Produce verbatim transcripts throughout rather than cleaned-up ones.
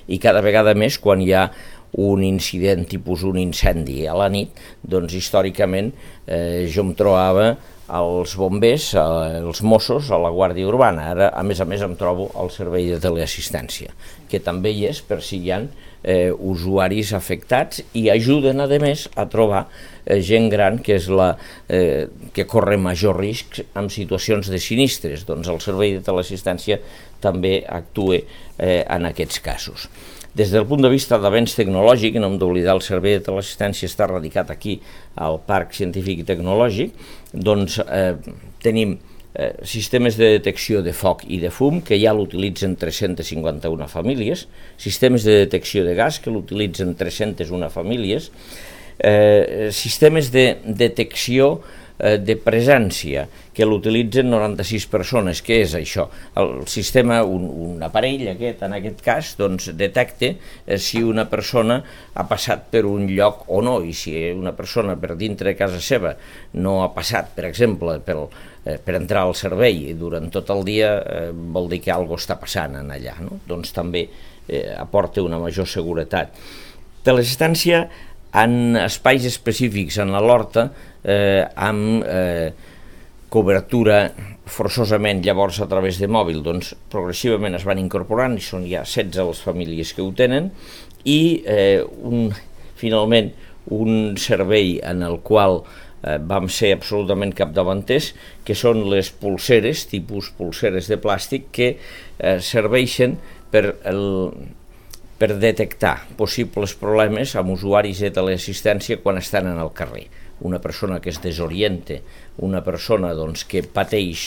i cada vegada més quan hi ha un incident tipus un incendi a la nit, doncs històricament eh, jo em trobava els bombers, eh, els Mossos, a la Guàrdia Urbana. Ara, a més a més, em trobo al servei de teleassistència, que també hi és per si hi ha eh, usuaris afectats i ajuden, a més, a trobar eh, gent gran que és la eh, que corre major risc en situacions de sinistres. Doncs el servei de teleassistència també actua eh, en aquests casos. Des del punt de vista d'avenç tecnològic, no hem d'oblidar, el servei de teleassistència està radicat aquí al Parc Científic i Tecnològic, doncs eh, tenim eh, sistemes de detecció de foc i de fum que ja l'utilitzen tres-centes cinquanta-una famílies, sistemes de detecció de gas que l'utilitzen tres-centes una famílies, eh, sistemes de detecció eh, de presència que l'utilitzen noranta-sis persones. Què és això? El sistema, un, un aparell aquest, en aquest cas, doncs detecta eh, si una persona ha passat per un lloc o no, i si una persona per dintre de casa seva no ha passat, per exemple, per, eh, per entrar al servei durant tot el dia, eh, vol dir que alguna cosa està passant en allà, no? Doncs també eh, aporta una major seguretat. Teleassistència en espais específics en l'horta, eh, amb eh, cobertura forçosament llavors a través de mòbil, doncs progressivament es van incorporant i són ja setze les famílies que ho tenen, i eh, un, finalment un servei en el qual eh, vam ser absolutament capdavanters, que són les pulseres, tipus pulseres de plàstic, que eh, serveixen per el per detectar possibles problemes amb usuaris de teleassistència quan estan en el carrer. Una persona que es desoriente, una persona doncs, que pateix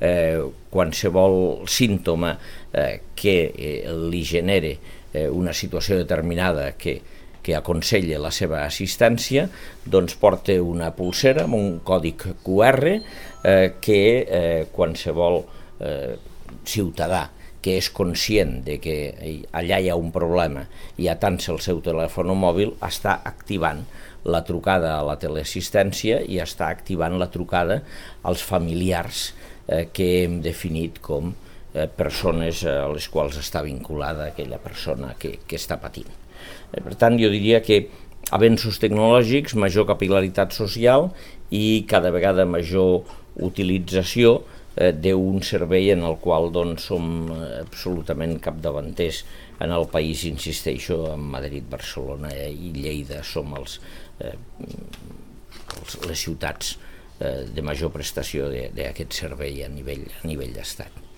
eh, qualsevol símptoma eh, que eh, li genere eh, una situació determinada que, que aconsella la seva assistència, doncs porta una pulsera amb un còdic Q R eh, que eh, qualsevol eh, ciutadà que és conscient de que allà hi ha un problema i atansa el seu telèfon mòbil, està activant la trucada a la teleassistència i està activant la trucada als familiars eh, que hem definit com eh, persones a les quals està vinculada aquella persona que, que està patint. Eh, per tant, jo diria que avenços tecnològics, major capil·laritat social i cada vegada major utilització d'un servei en el qual doncs, som absolutament capdavanters en el país, insisteixo, en Madrid, Barcelona i Lleida som els, eh, els, les ciutats eh, de major prestació d'aquest servei a nivell, a nivell d'estat.